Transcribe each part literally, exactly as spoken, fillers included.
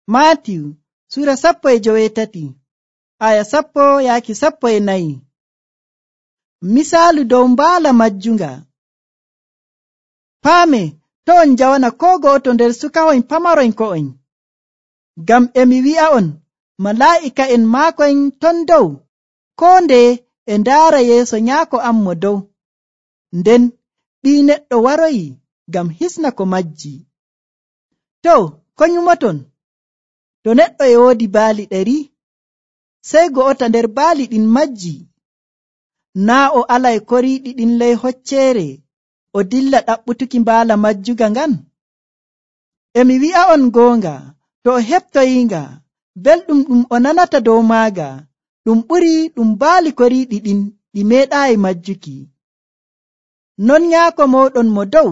Maatiyu sura sappo e joweetati aya sappo yaaki sappo e nayi. Misaalu dow mbaala majjunga. Paame to on jawana ko go'oto nder sukahoyn pamaroyn ko'oyn, ngam emi wi'a'on malaa'ika'en maakoyn ton dow koo ndeye e ndaara yeeso Nyaako am mo dow. Nden Ɓii Neɗɗo waroyi ngam hisna ko majji. To ko nyumoton? To neɗɗo e woodi baali ɗari, sey go'ota nder baali ɗin majji, naa o alay koriiɗi ɗin ley hocceere o dilla ɗaɓɓutuki mbaala majjuga ngan? Emi wi'a'on goonga, to o heɓtoyinga, belɗum ɗum o nanata dow maaga ɗum ɓuri ɗum baali koriiɗi ɗin ɗi meeɗaayi majjuki. Non Nyaako mooɗon mo dow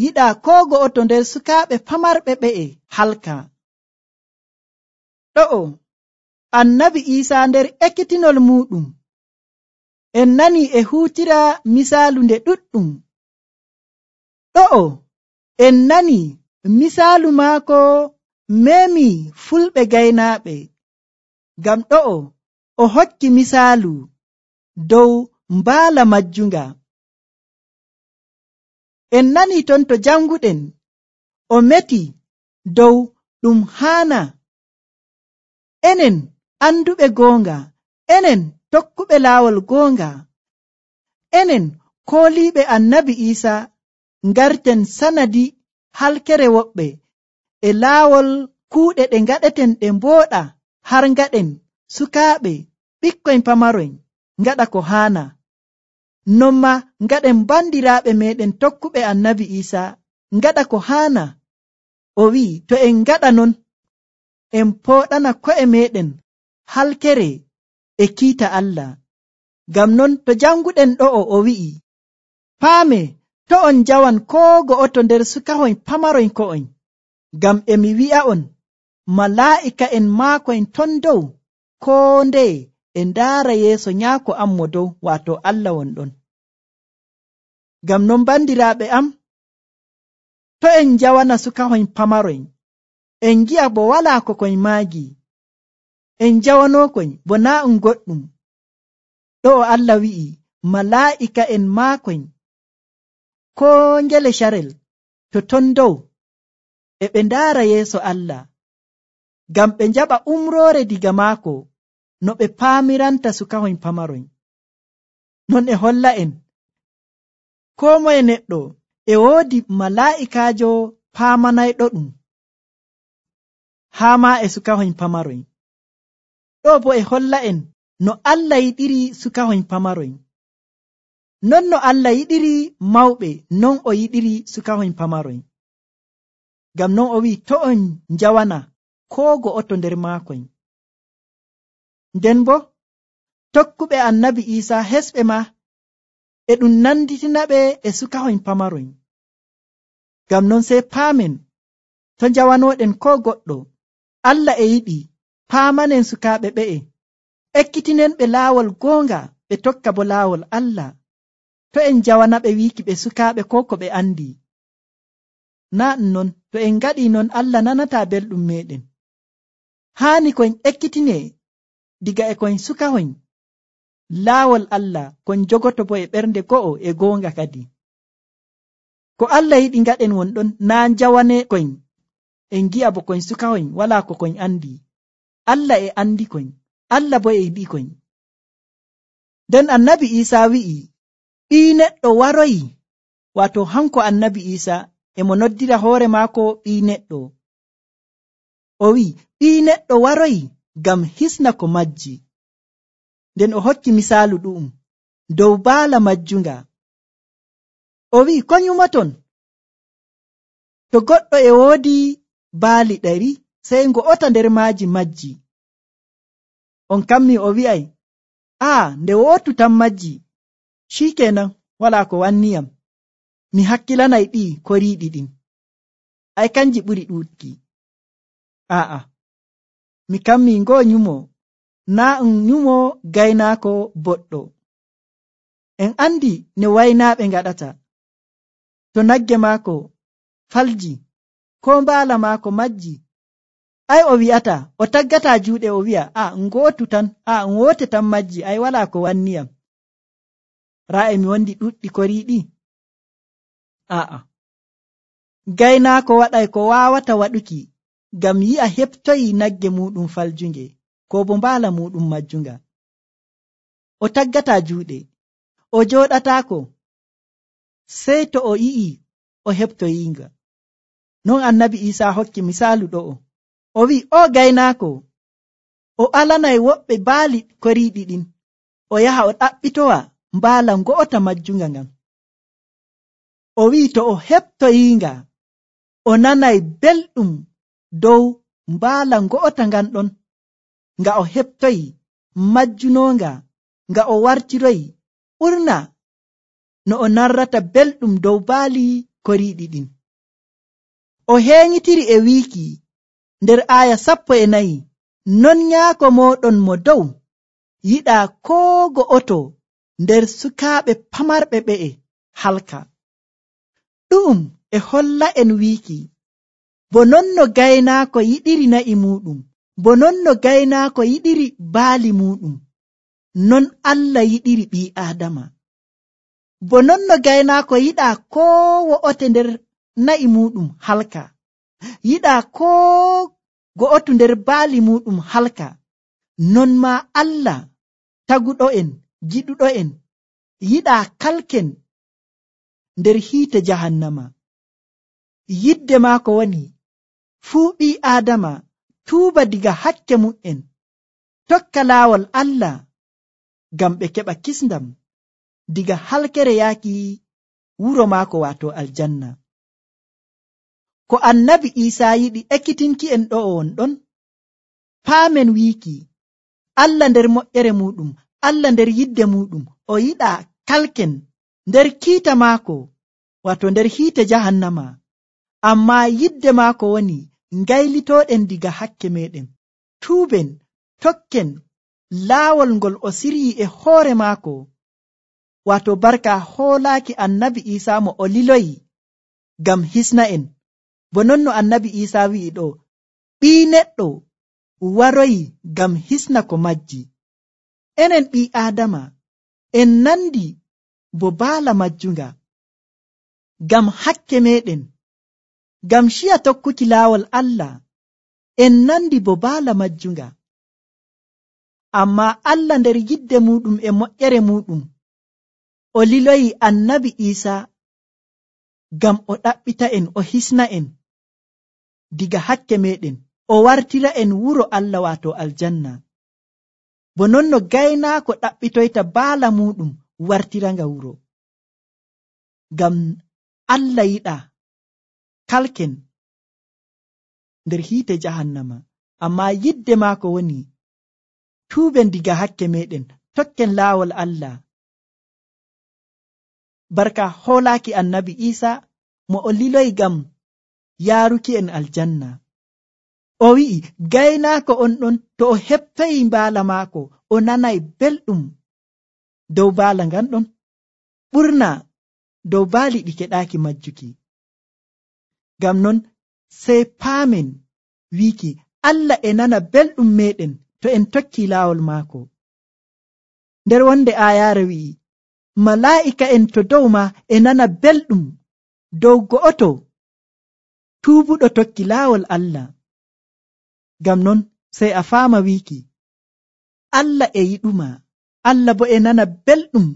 yiɗaa koo go'oto nder sukaaɓe pamarɓe ɓe'e halka. Ɗo'o Annabi Iisaa nder ekkitinol muuɗum en nani e huutira misaalu nde ɗuɗɗum. Ɗo'o en nani misaalu maako meemi fulɓe gaynaaɓe, ngam ɗo'o o hokki misaalu dow mbaala majjunga. En nani ton to janguɗen o meti dow ɗum haana enen anduɓe goonga, enen tokkuɓe laawol goonga, enen kooliiɓe Annabi Iisaa ngarten sanadi halkere woɓɓe e laawol kuuɗe ɗe ngaɗeten ɗe mbooɗa har ngaɗen sukaaɓe ɓikkoyn pamaroyn ngaɗa ko haana. Non ma ngaɗen bandiraaɓe meeɗen tokkuɓe Annabi Iisaa ngaɗa ko haana. O wi'i to en ngaɗa non en pooɗana ko'e meeɗen halkere e kiita Allah. Ngam non to janguɗen ɗo'o o wi'i, paame to on jawan koo go'oto nder sukahoyn pamaroyn ko'oyn, ngam emi wi'a'on malaa'ika'en maakoyn ton dow koo ndeye e ndaara yeeso Nyaako am mo dow, waato Allah wonɗon. Ngam non bandiraaɓe am, to en jawana sukahoyn pamaroyn, en ngi'a bo walaa ko koyn maagi, en jawanookoyn bo naa um goɗɗum. Ɗo'o Allah wi'i malaa'ika'en maakoyn koo ngele carel to ton dow e ɓe ndaara yeeso Allah, ngam ɓe njaɓa umroore diga maako no ɓe paamiranta sukahoyn pamaroyn. Non e holla en koo moye neɗɗo e woodi malaa'ikaajo paamanayɗo ɗum haa maa e sukahoyn pamaroyn. Ɗo bo e holla en no Allah yiɗiri sukahoyn pamaroyn. Non no Allah yiɗiri mawɓe, non o yiɗiri sukahoyn pamaroyn. Ngam non o wi'i to on njawana koo go'oto nder maakoyn. Nden bo tokkuɓe Annabi Iisaa hesɓe ma e ɗum nanditinaɓe e sukahoyn pamaroyn. Ngam non sey paamen to njawanooɗen koo goɗɗo, Allah e yiɗi paamanen sukaaɓe ɓe'e, ekkitinen ɓe laawol goonga ɓe tokka bo laawol Allah. To en jawanaɓe wiiki ɓe sukaaɓe koo ko ɓe andi. Naa ɗum non, to en ngaɗii non Allah nanataa belɗum meeɗen. Haani koyn ekkitine diga e koyn sukahoyn laawol Allah, koyn jogoto bo e ɓernde go'o e goonga kadi. Ko Allah yiɗi ngaɗen wonɗon, naa njawane koyn en ngi'a bo koyn sukahoyn walaa ko koyn andi. Allah e andi koyn, Allah bo e yiɗi koyn. Nden Annabi Iisaa wi'i Ɓii Neɗɗo waroyi, waato hanko Annabi Iisaa e mo noddira hoore maako Ɓii Neɗɗo. O wi'i Ɓii Neɗɗo waroyi ngam hisna ko majji. Nden o hokki misaalu ɗu'um dow baala majjunga. O wi'i ko nyumoton? To goɗɗo e woodi baali ɗari, sey ngo'ota nder maaji majji. On kammi o wi'ay, aa nde wootu tan majji, shikenan walaa ko wanniyam, mi hakkilanay ɗii koriiɗi ɗin, ay kanji ɓuri ɗuuɗki. Aa, mi kammi ngoo nyumo naa um nyumo gaynaako boɗɗo. En andi ne waynaaɓe ngaɗata. To nagge maako falji, koo mbaala maako majji, Ai o wi'ata o taggata juuɗe o wi'a a ngootu tan a ngoote tan majji ai wala ko wanniyam raa e mi wondi ɗuɗɗi koriiɗi. A'a, gaynaako waɗay ko waawata waɗuki ngam yi'a heɓtoyi nagge muɗum faljunge ko bo mbaala muɗum majjunga. O taggata juuɗe o jooɗataako sey to o yi'i o heɓtoyinga. Non annabi Isaa hokki misaalu ɗo'o o wi'i o gaynaako o alanay woɓɓe baali koriiɗi ɗin o yaha o ɗaɓɓitowa mbaala ngo'ota majjunga ngan. O wi'i to o heɓtoyinga o nanay belɗum dow mbaala ngo'ota ngan ɗon nga o heɓtoyi majjunonga nga o wartiroyi ɓurna no o narrata belɗum dow baali koriiɗi ɗin. O heeñitiri e wiiki nder aaya sappo e nayi non nyaako mooɗon mo dow yiɗaa koo go'oto nder sukaaɓe pamarɓe ɓe'e halka. Ɗu'um e holla en wiiki bo non no gaynaako yiɗiri na'i muɗum bo non no gaynaako yiɗiri baali muɗum non Allah yiɗiri ɓii Aadama. Bo non no gaynaako yiɗaa koo wo'ote nder na'i muɗum halka yiɗaa koo go'otu nder baali muɗum halka non maa Allah taguɗo'en giɗuɗo'en yiɗaa kalken nder hiite jahannama. Yidde maako woni fuu ɓii Aadama tuuba diga hakke mu'en tokka laawol Allah ngam ɓe keɓa kisndam diga halkere yaaki wuro maako waato aljanna. Ko annabi Isaa yiɗi ekkitinki en ɗo'o won ɗon paamen wiiki Allah nder moƴƴere muɗum Allah nder yidde muɗum o yiɗaa kalken nder kiita maako waato nder hiite jahannama amma yidde maako woni ngaylitooɗen diga hakke meɗen tuuben tokken laawol ngol o siryi e hoore maako waato barka hoolaaki annabi Isaa mo o liloyi ngam hisna en. Bo non no annabi Isaa wi'i ɗo ɓii neɗɗo waroyi ngam hisna ko majji. Enen ɓii Aadama en nandi bo baala majjunga ngam hakke meɗen ngam shiya tokkuki laawol Allah en nandi bo baala majjunga. Amma Allah nder yidde muɗum e moƴƴere muɗum o liloyi annabi Isaa ngam o ɗaɓɓita en o hisna en diga hakke meɗen o wartira en wuro Allah waato aljanna. Bo non no gaynaako ɗaɓɓitoyta baala muɗum wartiranga wuro ngam Allah yiɗaa kalken nder hiite jahannama amma yidde maako woni tuuben diga hakke meɗen tokken laawol Allah. Barka hoolaaki annabi Isaa mo o liloyi ngam yaaruki en aljanna. O wi'i gaynaako on ɗon to o heɓtoyi mbaala maako o nanay belɗum dow baala ngan ɗon ɓurna dow baali ɗi keɗaaki majjuki. Ngam non sey paamen wiiki Allah e nana belɗum meɗen to en tokki laawol maako. Nder wonde aayaare wi'i malaa'ika en to dow ma e nana belɗum dow go'oto tuubuɗo tokki laawol Allah. Ngam non sey a faama wiiki Allah e yiɗuma Allah bo e nana belɗum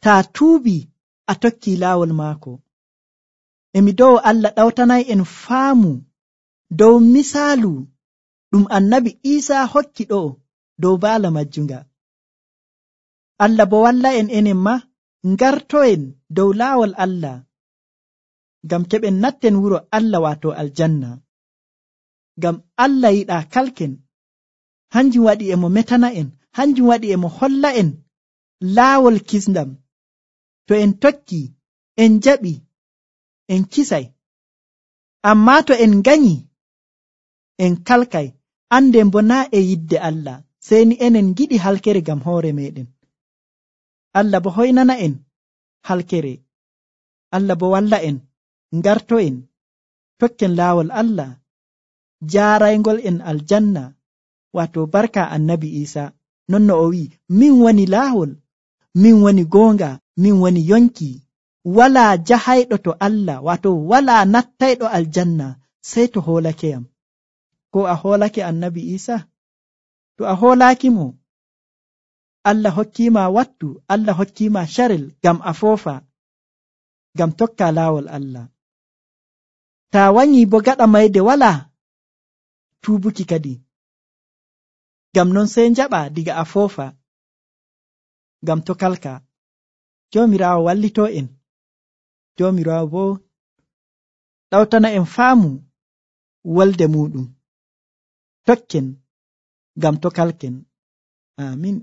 taa tuubi a tokki laawol maako. Emi dow Allah ɗawtanay en faamu dow misaalu ɗum annabi Isaa hokki ɗo dow baala majjunga. Allah bo walla en enen ma ngartoen dow laawol Allah ngam keɓen natten wuro Allah waato aljanna. Ngam Allah yiɗaa kalken hanjum waɗi e mo metana en hanjum waɗi e mo holla en laawol kisndam to en tokki en jaɓi en kisay amma to en ganyi en kalkay anden bo naa e yidde Allah sey ni enen giɗi halkere ngam hoore meɗen. Allah bo hoynana en halkere Allah bo walla en ngarto en tokken laawol Allah jaaraygol en aljanna wato barka annabi Isa. Non no o wi min woni laawol, min woni goonga, min woni yonki. Walaa jahayɗo to Allah wato walaa nattayɗo aljanna sey to hoolakeyam. Ko a hoolake annabi Isa? To a hoolaaki mo, Allah hokkiima wattu, Allah hokkiima carel ngam a foofa, ngam tokka laawol Allah. Taa wanyii bo gaɗa mayde walaa tuubuki kadi. Ngam non sey njaɓa diga a foofa, ngam tokalka. Joomiraawo wallitoo en. Joomiraawo bo ɗawtana en faamu wolde muɗum. Tokken ngam tokalken. Amin.